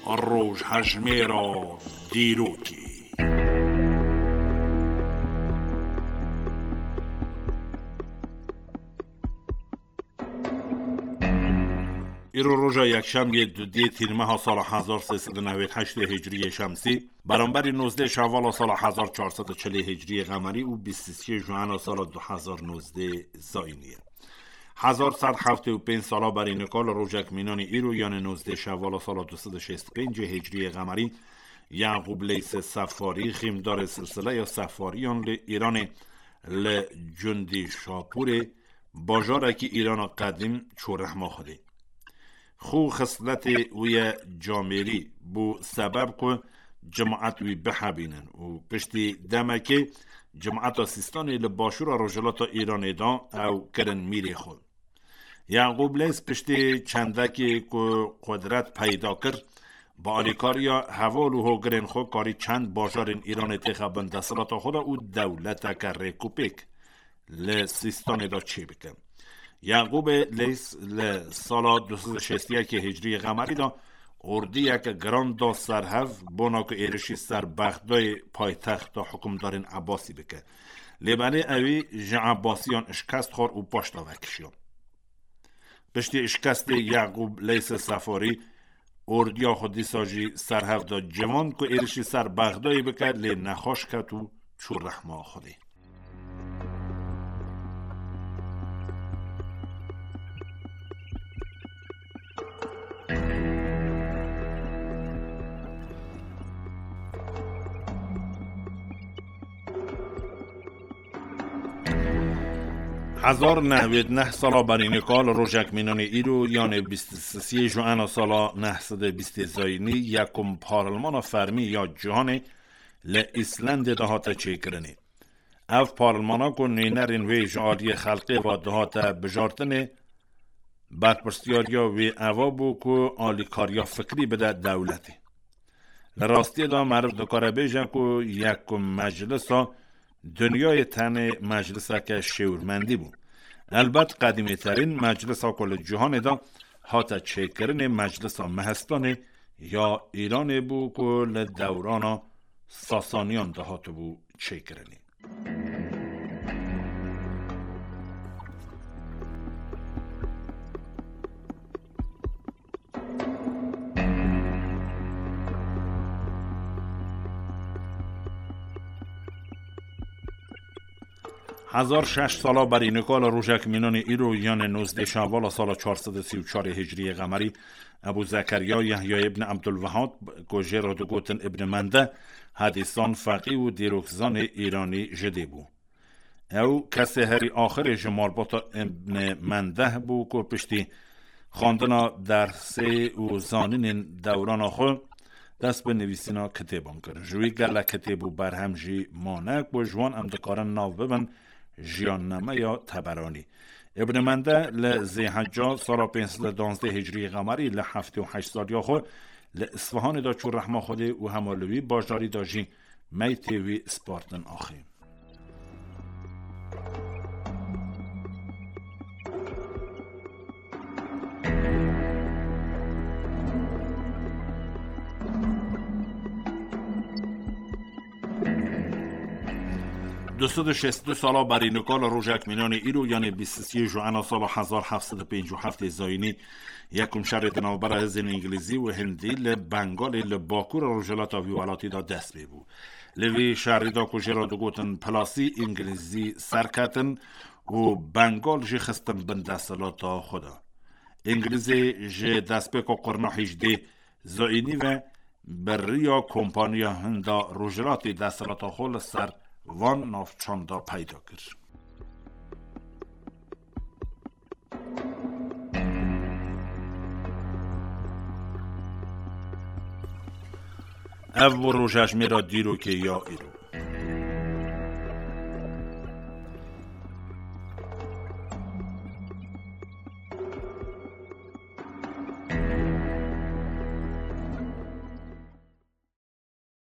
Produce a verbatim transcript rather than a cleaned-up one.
Rojhejmêra dîrokê. Îro roja yekşemiyê dudiyê tîrmeha sala hezar sê sed û newêd heştê hicriyê şemsî, beramberî nozdeh şevala sala hezar çar sed û çilê hicriyê qemerî û bîst û sê juana sala du hezar nozdeh zayînî ye. Hezar sed heftê û pênc sala berî nika li rojek mînanî îro, yanê nozdeh şevala sala du sed û şêst û pêncê hicriyê qemerî, Yaqûb Leysê Sefarî, xîmdarê silsileya Sefariyan li Îranê, li Cundî Şapûrê, bajarekî Îrana qedîm, çû rehma Xwedê. Xû xisletê wî ye camêrî, bû sebeb ku cimaet wî bihebînin û piştî demekê cimaeta Sîstanê li başûra rojhilata Îranê de ew kirin mîrê xwe. Yaqûb Leys piştî çendekê ku qudret peyda kir, bi alîkariya heval û hogirên xwe karî çend bajarên Îranê têxe bin desthilata xwe de û dewleteke rêkûpêk li Sîstanê de çêbike. Yaqûbê Leys li sala du sed û şêst û yekê hicriyê qemerî de ordiyeke giran da ser hev, bona ku êrişî ser Bexdayê, paytexta hukimdarên Ebasî, bike. Lê belê ewî ji Ebasiyan şikest xwar û paş de vekişiya. Piştî şikestê Yaqûb Leysê Sefarî, ordiya xwe dîsa jî ser hev da civand ku êrişî ser Bexdayê bike, lê nexweş ket û çû rehma Xwedê. Hezar neh sed û neh sala berî nika li rojek mînanê îro, yanê bîst û sê juana sala neh sed û bîstê zayînî, yekum parlmana fermî ya cîhanê li Îslandê de hate çêkirinê. Ev parlmana ku nûnerên wê ji aliyê xelkê ve dihate bijartinê, berpirsiyariya wê eva bû ku alîkariya fikrî bide dewletê. Li rastiyê de meriv dikare bêje ku yekum meclisa dinyayê tenê mecliseke şêwirmendî bû. Elbet qedîmêterîn meclisa ku li cîhanê de hate çêkirinê meclisa Mehistanê ya Îranê bû ku li dewrana Sasaniyan de hatibû çêkirinê. Hezar şeş sala berî nika li rojek mînanê îro, yanê nozdeh şevala sala çar sed û sî û çarê hicriyê qemerî, Ebû Zekeriya Yehya ibn Ebdulvehab, ku jê re digotin Ibn Mende, hedîsan, feqî û dîrokzanê Îranî ji dê bû. Ew kesê herî axirê ji malbata Ibn Mendeh bû ku piştî xwendina dersê û zanînên dewrana xwe dest bi nivîsîna kitêban kir. Ji wî gelek kitêb û berhem jî mane ku ji wan em dikarin nav bibin Jiyannameya Teberanî. Ibn Mende li Zêhecca sala pênc sed û danzdeh Hicriyê Qemerî li heftê û heşt saliya xwe li Isfahanê de çû rehma Xwedê û hema li wî bajarî de jî meytê wî spartin axê. Du sed û şêst û du sala berî nika li rojek mînanê îro, yanê bîst û sê Joana sala hezar heft sed û pêncî û heftê zayînî, yekum şerê di navbera hêzên îngilîzî û hindî li Bengalê li bakur rojhilata vî welatî de dest pê bû. Li vî şerî de ku jê re digotin Pilasî, îngilîzî serketin û Bengal jî xistin bin desthilata xwe de. Îngilîzê ji destpêka qurna hîjdê zayînî ve bi riya kompaniya Hinda Rojhilatê desthilata xwe li ser van navçan de peyda kir. Ev bû rojejmêra dîrokê ya îro.